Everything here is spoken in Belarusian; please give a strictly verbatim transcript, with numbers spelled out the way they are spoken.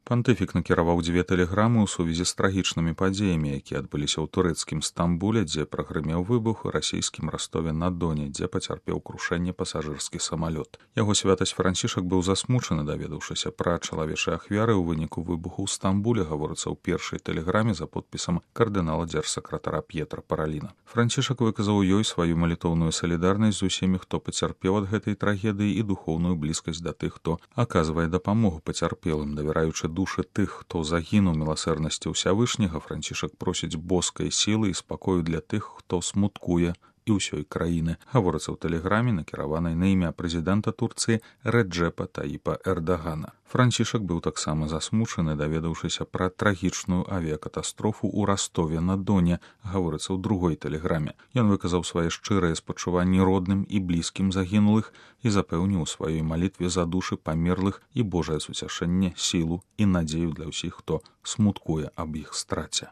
Пантыфік накіраваў дзве тэлеграмы ў сувязі з трагічнымі падзеямі, якія адбыліся ў турэцкім Стамбуле, дзе прагрымеў выбух, і расійскім Ростове-на-Доне, дзе пацярпеў крушэнне пасажырскі самалёт. Яго святасць Францішак быў засмучаны, даведаўшыся пра чалавечыя ахвяры ў выніку выбуху ў Стамбуле, гаворыцца ў першай тэлеграме за подпісам кардынала дзяржсакратара П'етра Параліна. Францішак выказаў ёй сваю малітоўную салідарнасць з усімі, хто пацярпеў ад гэтай трагедыі, і духоўную блізкасць да тых, хто аказвае дапамогу пацярпелым, давяраючы душы тых, хто загінуў міласэрнасці Ўсявышняга. Францішак просіць боскай сілы і спакою для тых, хто смуткуе і ўсёй краіны. Гаворыцца ў тэлеграме, накіраванай на імя прэзідэнта Турцыі Рэджэпа Таіпа Эрдагана. Францішак быў таксама засмучаны, даведаўшыся пра трагічную авіякатастрофу ў Ростове-на-Доне, гаворыцца ў другой тэлеграме. Ён выказаў свае шчырыя спачуванні родным і блізкім загінулых і запэўніў у сваёй малітве за душы памерлых і Божае суцяшэнне, сілу і надзею для ўсіх, хто смуткуе аб іх страце.